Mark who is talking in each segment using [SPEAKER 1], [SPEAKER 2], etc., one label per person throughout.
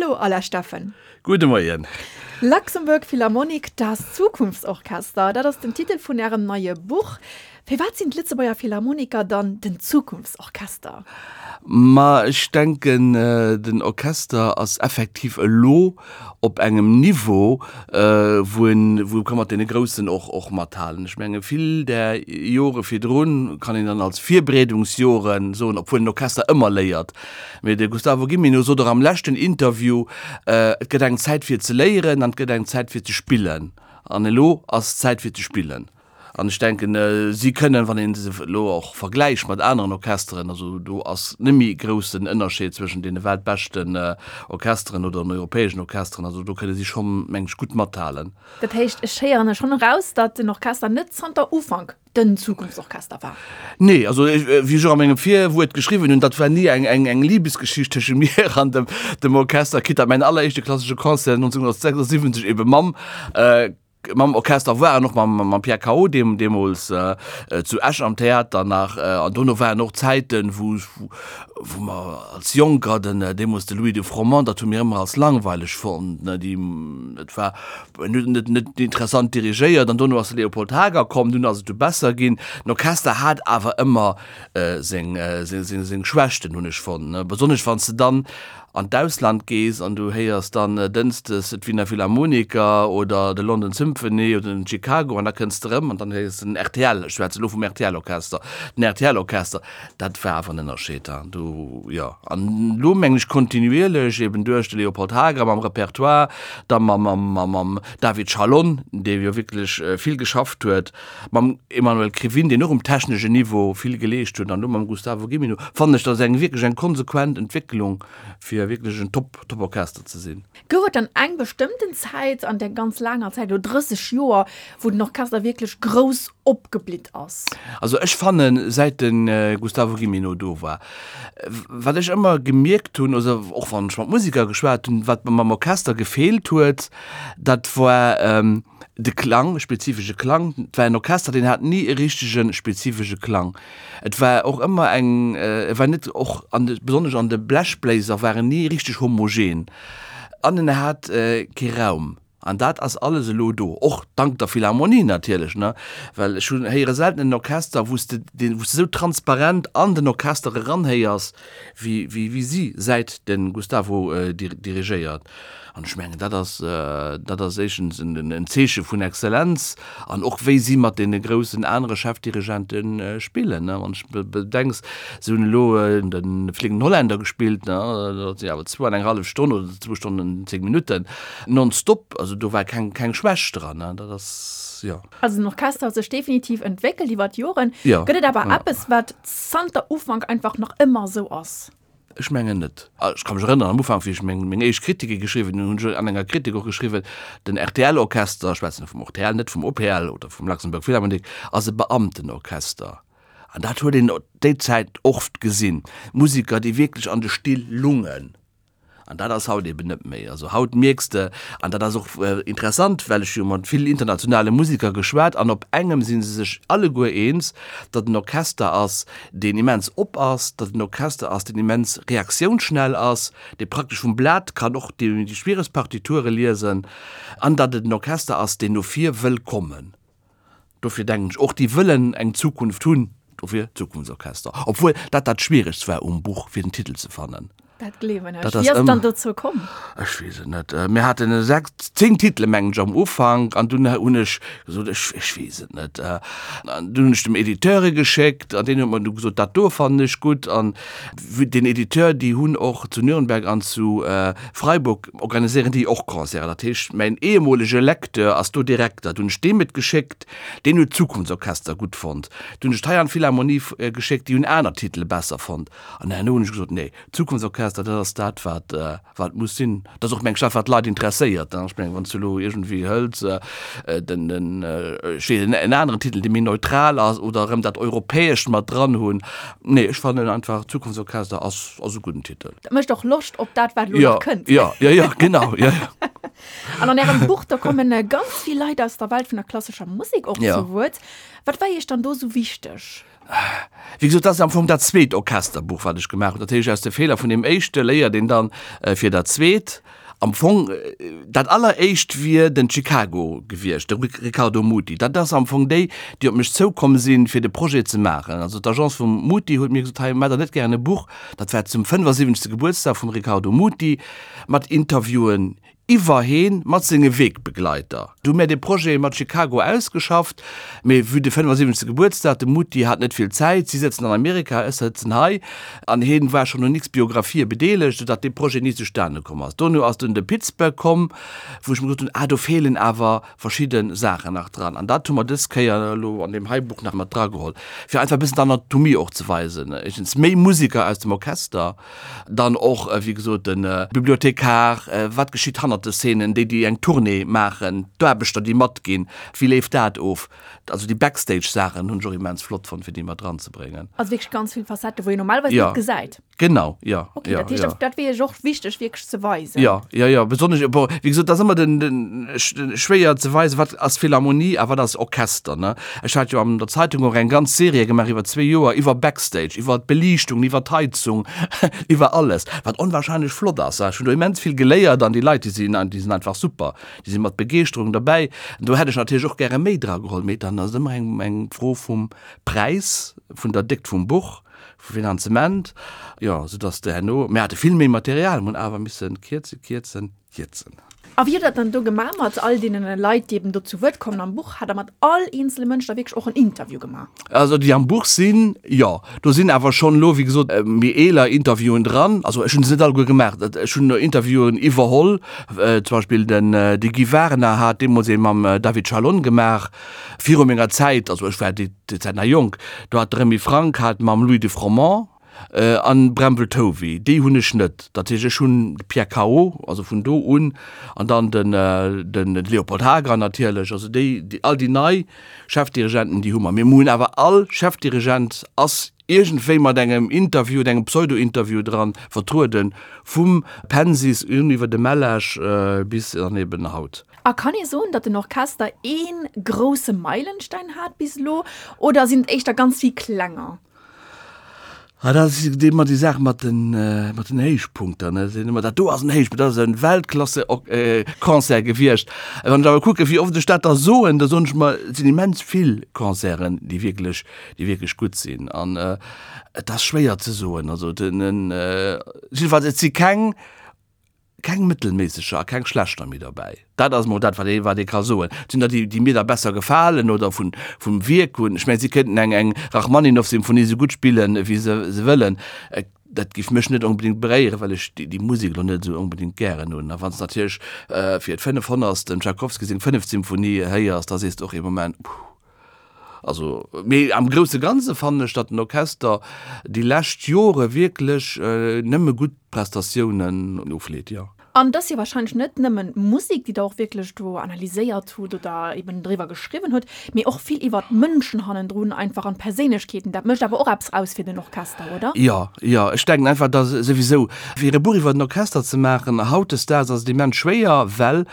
[SPEAKER 1] Hallo Alain Steffen.
[SPEAKER 2] Gudde Moien.
[SPEAKER 1] Luxembourg Philharmonic, das Zukunftsorchester, dat ass den Titel vun Ärem neie Buch. Firwat sinn d'Lëtzebuerger Philharmoniker dann den Zukunftsorchester?
[SPEAKER 2] Ma ech denken, den Orchester ass effektiv elo op engem Niveau, wou en, wou e ka mat deene Groussen och, och mathalen. Ech menge vill där Jore virdrun kann een dann als Virbereedungsjore soen, obwuel den Orchester ëmmer léiert. Mee de Gustavo Gimeno sot och am leschten Interview, Et gëtt eng Zäit fir ze léieren an et gëtt eng Zäit fir ze spillen. An elo ass d'Zäit fir ze spillen. An ech denken, si kënnen, wann ee se elo och vergläicht mat aneren Orchesteren, also do ass net méi e groussen Ënnerscheed zwëschen deene weltbeschten Orchesteren oder den europäeschen Orchesteren, also do kënne si schonn, meng ech, gutt mathalen.
[SPEAKER 1] Dat heescht, ech héieren schonn eraus, datt den Orchester net zanter Ufank den Zukunftsorchester war.
[SPEAKER 2] Nee, also wéi ech och a mengem Virwuert geschriwwen hunn, dat war ni eng, eng, eng Libesgeschicht tësche mir an dem, dem Orchester, quitte datt mäin alleréischte klassesche Concert 1976 ebe mam, mam Orchester war an och mam, mam Pierre Cao deem, deemools zu Esch am Theater nach. An dono waren och Zäiten, wou, wou mer als Jonker den, deemools de Louis de Froment, dat hu mir ëmmer als langweileg fonnt, ne, déi, et war, En huet net net interessant dirigéiert an dono ass de Leopold Hager komm, dunn ass et du besser ginn. Den Orchester hat awer ëmmer seng seng seng Schwächten, hunn ech fonnt, ne, besonnesch wann s de dann an d'Ausland gees an du héiers dann dënschdes d'Wiener Philharmoniker oder de London Symphony oder den Chicago an da kënns de erëm an dann héiers de den rtl, ech schwätze elo vum RTL-Orchester, den RTL-Orchester, Dat war awer en Ënnerscheed da do, jo. An elo mengen ech kontinuierlech, eben duerch de Léopold Hager mam Repertoire, da mam David Chalon, dee jo wierklech vill geschafft huet, mam Emmanuel Krivine, deen och um techneschen Niveau vill geleescht huet, an elo mam Gustavo Gimeno, fannen ech, dat ass eng wierklech eng konsequent Entwécklung, fir wierklech en Top, Top-Orchester ze sinn.
[SPEAKER 1] Gouf et dann eng bestëmmten Zäit an där ganz laanger Zäit, elo 30 Joer, wou den Orchester wierklech grouss opgeblitt ass?
[SPEAKER 2] Also ech fannen, säit de Gustavo Gimeno do war, wat ech ëmmer gemierkt hunn, also och wann ech mat Museker geschwat hunn, wat mer mam Orchester gefeelt huet, dat war de Klang, e spezifesche Klang. Et war en Orchester, deen hat ni e richtege spezifesche Klang. Et war och ëmmer eng, e war net och an de, besonnesch an de Blechbléiser war en ni richteg homogen an en hat kee Raum. An dat ass alles elo do, och dank der Philharmonie natierlech, ne, well ech hunn, héiere selten en Orchester, wou s de deen, wou s de esou transparent an den Orchester eranhéiers, wéi, wéi, wéi si, säit de Gustavo dirigéiert. An ech mengen, dat ass, dat ass éischtens en Zeeche vun Exzellenz an och wéi si mat deene groussen anere Chefdirigente spillen. Wann s de bedenks, si hunn elo de Fliegenden Holländer gespillt, dat sinn awer zwou an eng hallef Stonn oder zwou Stonnen an 10 Minutten nonstop. Also do war keng, keng Schwächt dran. Dat ass, jo.
[SPEAKER 1] Also den Orchester huet sech definitiv entwéckelt iwwer d'Joren. Gëtt et awer eppes, wat zanter Ufank einfach nach ëmmer esou ass?
[SPEAKER 2] Ech mengen net. Ech ka mech erënneren, am Ufank, wéi ech meng, meng éischt Kritike geschriwwen hunn, hunn ech an enger Kritik och geschriwwen, den RTL-Orchester, ech schwätzen elo vum rtl, net vum OPL oder vum Luxembourg Philharmonic, ass e Beamtenorchester. An dat huet een déi Zäit oft gesinn, Musiker, déi wierklech an de Still lungen. An dat ass haut eben net méi. Also haut mierks de, an dat ass och interessant, well ech jo mat vill internationale Musiker geschwat, an op engem si se sech alleguer eens, datt en Orchester ass, deen immens op ass, datt en Orchester ass, deen immens reaktiounsschnell ass, dee praktesch vum Blat kann och déi schwieregst Partiture liesen, an datt et en Orchester ass, deen no vir wëll kommen. Dofir denken ech och, déi wëllen eng Zukunft hunn, dofir Zukunftsorchester. Obwuel dat dat Schwieregst war um Buch, fir den Titel ze fannen.
[SPEAKER 1] Dat gleewen ech. Wéi ass et dann dozou komm?
[SPEAKER 2] Ech weess et net. Mir haten 6, 10 Titele mengen ech am Ufank an dunn hunn ech gesot, ech, ech weess et net. An dunn hunn ech dem Editeur e geschéckt an deen huet mer du gesot, dat do fannen ech gutt. An den Editeur, déi hunn och zu Nürnberg an zu Freiburg organiséieren déi och Concerten. Dat heescht, mäin ehemolege Lecteur ass do Direkter. Dunn hunn ech deem et geschéckt, deen huet Zukunftsorchester gutt fonnt. Dunn hunn ech et hei an d'Philharmonie geschéckt, déi hunn aner Titele besser fonnt. An herno hunn ech gesot, nee, Zukunftsorchester, dat ass dat, wat, wat muss sinn. Dat ass och, meng ech, dat, wat d'Leit interesséiert. Ech mengen, wann s du elo iergendwéi hëls, den, den, ech weess net, en aneren Titel, dee méi neutral ass oder erëm dat Europäescht mat dran hunn. Nee, ech fannen einfach, Zukunftsorchester ass, ass e gudden Titel.
[SPEAKER 1] Dat mécht och Loscht op dat, wat elo nach kënnt.
[SPEAKER 2] Jo, jo, jo, genau, jo, jo.
[SPEAKER 1] An an Ärem Buch, do kommen ganz vill Leit aus der Welt vun der klassescher Musek och zu Wuert. Wat war Iech dann do esou wichteg?
[SPEAKER 2] Wéi gesot, dat ass am Fong dat zweet Orchesterbuch, wat ech gemaach hunn. Dat heescht, aus de Feeler vun deem éischte léiert een dann fir dat zweet. Am Fong, dat alleréischt wier den Chicago gewiescht, de Riccardo Muti. Dat ass am Fong déi, déi op mech zoukomm sinn, fir de Projet ze maachen. Also d'Agence vum Muti huet mir gesot, hei, maacht Der net gären e Buch? Dat war zum 75. Gebuertsdag vum Riccardo Muti, mat Interviewen iwwer heen mat senge Wegbegleiter. Du hu mär dee Projet mat Chicago ausgeschafft, mee vue de 75. Gebuertsdag, de Mutti hat net vill Zäit, si sëtzen an Amerika, ech sëtzen hei, an heen war schonn un x Biographië bedeelegt, soudatt dee Projet ni zustane komm ass. Dono ass dunn de Pittsburgh komm, wou ech mer gesot hunn, ah do feelen awer verschidde Saachen nach dran. An dat hu mer dës Kéier elo an deem hei Buch nach mat drageholl, fir einfach e bëssen d'Anatomie och ze weisen, éischtens méi Musiker aus dem Orchester, Dann och, wéi gesot, de Bibliothekar, wat geschitt hannert de Szenen, déi, déi eng Tournée maachen, d'Aarbechter, déi matginn, wéi leeft dat of? Also déi Backstage-Saachen hunn ech och immens flott fonnt, fir déi mat dranzebréngen.
[SPEAKER 1] Also wierklech ganz vill Facetten, wou een normalerweis net gesäit.
[SPEAKER 2] Genau, jo.
[SPEAKER 1] Okay, dat heescht, dat wier iech och wichteg wierklech ze weisen.
[SPEAKER 2] Jo, jo, jo, besonnesch, bon, wéi gesot, dat ass ëmmer den, den, schwéier ze weisen, wat ass Philharmonie a wat ass Orchester, ne? Ech hat jo an der Zeitung och eng ganz Serie gemaach iwwer zwee Joer iwwer Backstage, iwwer d'Beliichtung, iwwer d'Heizung, iwwer alles, wat onwahrscheinlech flott ass. Ech hunn do immens vill geléiert an déi Leit, déi sinn, déi sinn einfach super, déi si mat Begeeschterung derbäi. Do hätt ech natierlech och gäre méi drageholl, mee dann ass et ëmmer eng, eng Fro vum Präis, vun der Déckt vum Buch, vum Finanzement, jo, soudass de herno, mir hate vill méi Material, mir hunn awer misse kierzen, kierzen. Kierzen.
[SPEAKER 1] A wéi hutt Der dat dann do gemaach mat all deenen Leit, déi eben do zu Wuert kommen am Buch? Hat Der mat all eenzele Mënsch da wierklech och en Interview gemaach?
[SPEAKER 2] Also déi am Buch sinn, jo. Do sinn awer schonn elo, wéi gesot, méi eeler Interviewen dran. Also ech hunn se net alleguer gemaach. Ech hunn Interviewen iwwerholl. Zum Beispill den de Guy Wagener hat deemools ee mam David Chalon gemaach, viru menger Zäit. Also ech war déi Zäit nach jonk. Do hat de Remy Franck hat mam Louis de Froment. An Bremble Tovey, déi hunn ech net. Dat heescht, ech hunn de Pierre Cao, also vun do un, an dann den den Léopold Hager natierlech. Also déi, all déi nei Chefdirigenten, déi hu mer. Mee mir hunn awer all Chefdirigent ass iergendwéi mat engem Interview oder engem Pseudo-Interview dran vertrueden, vum Pensis un iwwer de Mellasch bis dann eben haut.
[SPEAKER 1] A kann ee soen, datt den Orchester ee grousse Meilenstein hat bis elo, oder sinn et éischter ganz vill klenger?
[SPEAKER 2] Ah, dat ass ëmmer déi Saach mat den, mat den Héichpunkter, ne. Sinn ëmmer, dat do ass en Héichpunkt, dat ass e Weltklasse-Concert gewiescht. Wann ech awer kucken, wéi oft ech dat da soen, da soen ech mer, et sinn immens vill Concerten, déi wierklech, déi wierklech gutt sinn. An et ass schwéier ze soen. Also den, jiddefalls, et si keng Keng mëttelméisseger a keng schlechter méi derbäi. Dat ass mol dat, wat ee, wat ee ka soen. Et sinn der, déi, déi mir da besser gefalen oder vun, vum Wierk hunn. Ech mengen, si kéinten eng, eng Rachmaninoff-Symphonie esou gutt spillen, wéi se, se wëllen. Dat géif mech net onbedéngt beréieren, well ech déi, déi Musek elo net esou onbedéngt gären hunn. A wann s de natierlech fir d'fënnefhonnertst dem Tschaikowski seng fënneft Symphonie héiers, da sees de och ee Moment, Puh. Also, mee am grousse Ganze fannen ech, datt den Orchester déi lescht Jore wierklech nëmme gutt Prestatiounen ofleet, jo.
[SPEAKER 1] An et ass jo wahrscheinlech net nëmmen d'Musek, déi Der och wierklech do analyséiert hutt oder eben driwwer geschriwwen hutt, mee och vill iwwer d'Mënschen hannendrun einfach an d'Perséinlechkeeten. Dat mécht awer och eppes aus fir den Orchester, oder?
[SPEAKER 2] Jo, jo. Ech denken einfach, datt souwisou, fir e Buch iwwer den Orchester ze maachen hautdesdaags ass et immens schwéier, well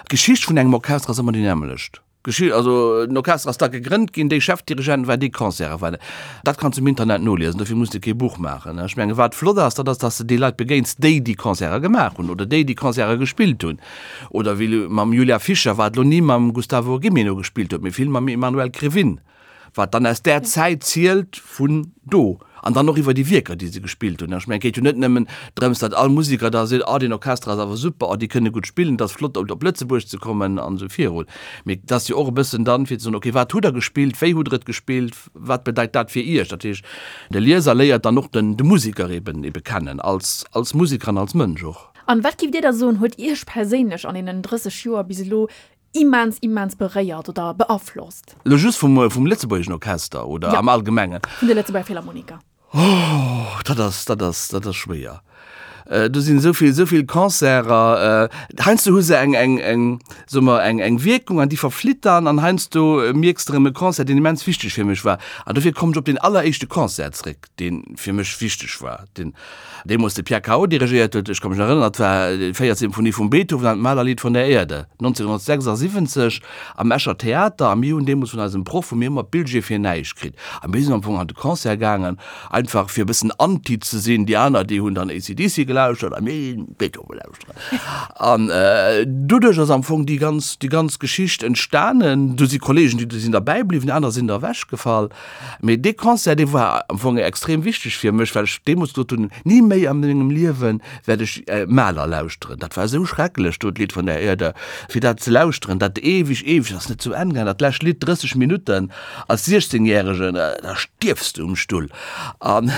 [SPEAKER 2] d'Geschicht vun engem Orchester ass ëmmer déi nämmlecht. Geschicht, also den Orchester ass da gegrënnt ginn, dee Chefdirigent war, déi Concerte waren. Dat kanns du um Internet noliesen, dofir muss de kee Buch maachen. Ech menge wat flott ass, dat ass, datt s de déi Leit begéins, déi déi Concerte gemaach hunn oder déi déi Concerte gespillt hunn. Oder wéi mam Julia Fischer, wat elo ni mam Gustavo Gimeno gespillt huet, mee vill mam Emmanuel Krivine. Wat dann aus där Zäit zielt vun do. An dann och iwwer déi Wierker, déi se gespillt hunn. Ech mengen, et geet jo net nëmmen drëms, datt all Museker da seet, oh deen Orchester ass awer super, oh déi kënne gutt spillen, et ass flott op Lëtzebuerg ze kommen an esou virun. Mee et ass jo och e bëssen dann, fir ze soen, okay, wat hutt Der gespillt, wéi hutt Der et gespillt, wat bedeit dat fir Iech? Dat heescht, de Lieser léiert dann och den de Museker eben ebe kennen, als als Museker an als Mënsch och.
[SPEAKER 1] An wat giff Dir da soen, huet Iech perséinlech an deenen 30 Joer bis elo immens, immens beréiert oder beaflosst?
[SPEAKER 2] Lo just vum, vum lëtzebuergeschen Orchester oder
[SPEAKER 1] Ja.
[SPEAKER 2] am Allgemengen?
[SPEAKER 1] Vun de Lëtzebuerger Philharmoniker.
[SPEAKER 2] Oh, dat ass, dat ass, dat ass schwéier. Do sinn esou vill, esou vill Concerter. Heiansdo hu se eng, eng, eng, soe mer, eng, eng Wierkung an déi verflitt dann an heiansdo mierks de erëm e Concert, deen immens wichteg fir mech war. An dofir kommen ech op deen alleréischte Concert zréck, dee fir mech wichteg war, deen deemools de Pierre Cao dirigéiert huet. Ech ka mech nach erënneren, dat war déi véiert Symphonie vum Beethoven an d'Mahlerlied von der Erde, 1976 am Escher Theater. A mir hunn deemools vun eisem Proff, hu mir ëmmer Billjee fir näischt kritt. A mir sinn am Fong an de Concert gaangen Einfach fir e bëssen anti ze sinn. Déi aner, déi hunn dann AC/DC gelauschtert a mir ginn Beethoven lauschteren. An doduerch ass am Fong déi ganz, déi ganz Geschicht entstanen. Do si Kollegen, déi sinn derbäi bliwwen, aner sinn der ewechgefall. Mee dee Concert, dee war am Fong extrem wichteg fir mech, well ech deemools gesot hunn, Ni méi a mengem Liewe wäert ech Mahler lauschteren. Dat war esou schrecklech do, d'Lied von der Erde, fir dat ze lauschteren, dat eweg, eweg, ass net zu Enn gaangen, dat lescht Lidd, 30 Minutten. Als 16 järegen, da stierfs de um Stull. An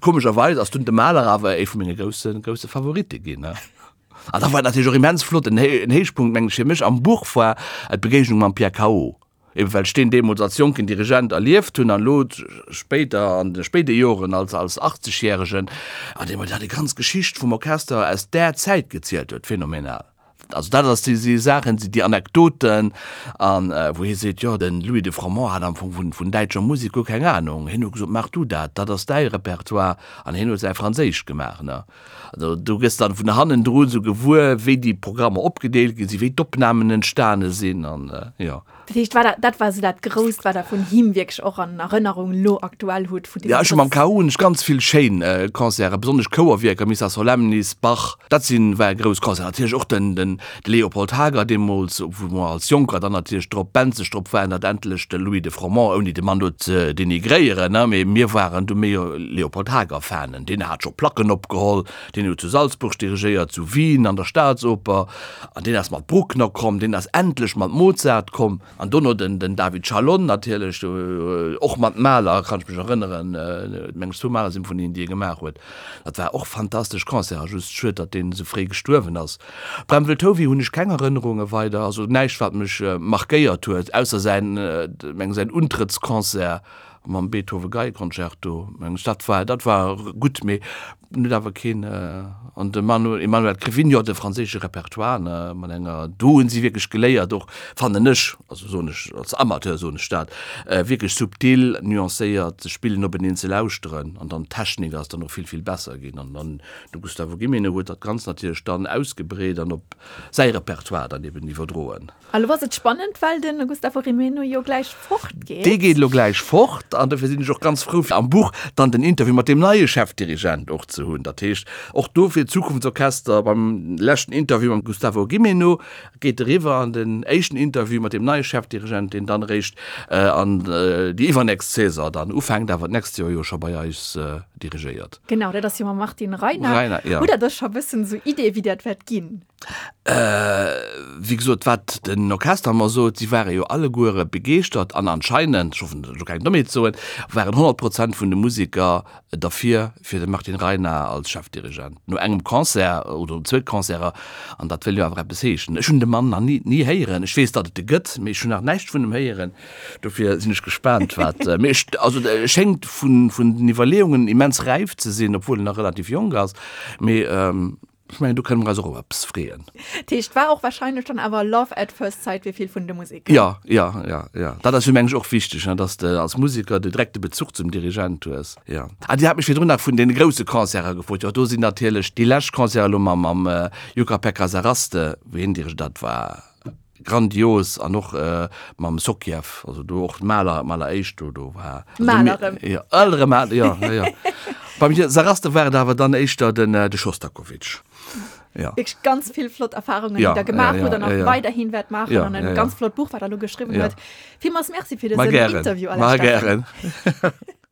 [SPEAKER 2] komescherweis ass dunn de Mahler awer ee vu menge grousse, grousse Favoritte ginn. An da war et natierlech och immens flott, en Héichpunkt, mengen ech, fir mech am Buch war d'Begéignung mam Pierre Cao, eben well ech deen deemools als jonken Dirigent erlieft hunn an elo spéider, an de spéide Joren als, als 80 järegen, an dee mer da déi ganz Geschicht vum Orchester aus där Zäit gezielt huet, phänomenal. Also dat ass déi si Saachen, si déi Anekdoten an wou hie seet, jo den Louis de Froment hat am Fong vun vun däitscher Musek guer keng Anung. Hien huet gesot, maach du dat, dat ass däi Repertoire an hien huet säi Franséischt gemaach, ne. Also do gëss dann vun hannendru sou gewuer, wéi déi Programmer opgedeelt gi sinn, wéi d'Opnamen entstane sinn an jo.
[SPEAKER 1] Dat heescht, war dat, dat war esou dat Grousst, wat Der vun him wierklech och an Erënnerung elo aktuell hutt?
[SPEAKER 2] Vun deem Ja, ech hu mam KU hunn ech ganz vill schéin Concerten, besonnesch Chouerwierker, Missa Solemnis, Bach, dat sinn, ware grouss Concerten. Natierlech och den, den Leopold Hager deemools, wou mer als Jonker dann natierlech drop, benzeg drop waren, datt endlech de Louis de Froment, ouni de Mann do ze denigréieren, ne, mee mir waren du méi Leopold Hager-Fanen. Deen hat scho Placken opgeholl, deen huet zu Salzburg dirigéiert, zu Wien an der Staatsoper. An deen ass mat Bruckner komm, deen ass endlech mat Mozart komm. An dono den David Chalon natierlech, och mat Mahler, kann ech mech erënneren, meng ech zwou Mahler-Symphonien, déi e gemaach huet. Dat war och fantastesch Concerten, just schued, datt deen esou fréi gestuerwen ass. Bramwell Tovey hunn ech keng Erënnerunge weider, also näischt wat mech markéiert huet, ausser säin, meng säin Untrëttsconcert mam Beethoven Geieconcerto, meng ech, dat war, dat war gutt, mee En huet awer keen, an de Manu, Emmanuel Krivine, jo, de franséische Repertoire, ne, mat enger, do hunn si wierklech geléiert och, fannen ech, also soen ech, als Amateur soen ech dat, wierklech subtil, nuancéiert ze spillen, openeen ze lauschteren an dann d'Technik ass dann och vill, vill besser ginn an dann de Gustavo Gimeno huet dat Ganzt natierlech dann ausgebreet an op säi Repertoire dann eben iwwerdroen.
[SPEAKER 1] A lo ass et spannend, well de Gustavo Gimeno jo gläich fort geet.
[SPEAKER 2] Dee geet elo gläich fort an dofir sinn ech och ganz frou, fir am Buch dann den Interview mat deem neie Chefdirigent och ze hunn. Dat heescht, och do fir d'Zukunftsorchester, beim leschten Interview mam Gustavo Gimeno geet eriwwer an den éischten Interview mat deem neie Chefdirigent, deen dann eréischt an déi iwwernächst Saison dann ufänkt, awer d'nächst Joer jo scho bei eis dirigéiert.
[SPEAKER 1] Genau, dat ass jo mam Martin Reiner. Reiner, jo. Hutt Der da scho e bëssen esou Ideeë wéi dat wäert ginn?
[SPEAKER 2] Wéi gesot, wat den Orchester mer sot, si ware jo alleguere begeeschtert an anscheinend, ech hoffen elo keng Dommheet ze soen, waren 100 Prozent vun de Museker derfir fir de Martin Reiner als Chefdirigent. No engem Concert oder no zwou Concerter, an dat wëll jo awer eppes heeschen. Ech hunn de Mann nach ni, ni héieren. Ech weess, datt et e gëtt, mee ech hunn nach näischt vun em héieren. Dofir sinn ech gespaant, wat, mee ech, also e schéngt vun, vun den Iwwerleeungen immens räif ze sinn, obwuel en nach relativ jonk ass. Mee Ech mengen, do kënne mer eis och op eppes freeën.
[SPEAKER 1] Dat heescht, war och wahrscheinlech dann awer Love at first sight fir vill vun de Museker.
[SPEAKER 2] Jo, jo, jo, jo. Dat ass jo, mengen ech, och wichteg, ne, dass de als Museker de direkte Bezuch zum Dirigent hues. Jo. Ah, Dir hat mech virdrun nach vun deene grousse Concerte gefrot. Jo, do sinn natierlech déi lescht Concerte elo mam, mam Jukka-Pekka Saraste, wou hien dirigéiert, dat war Grandios an och mam Sokjev, also do och Mahler, Mahler éischt do, do war.
[SPEAKER 1] Mahler erëm.
[SPEAKER 2] Jo, erëm Mahler, jo, jo, jo. Beim Saraste war et awer dann éischter den, de Schostakowitsch.
[SPEAKER 1] Jo. Wierklech ganz vill flott Erfahrungen, déi Der gemaach hutt an och weiderhin wäert maachen an e ganz flott Buch, wat Der elo geschriwwen hutt. Villmools Merci fir dësen Interview,
[SPEAKER 2] Alain Steffen. Ma gären. Ma gären.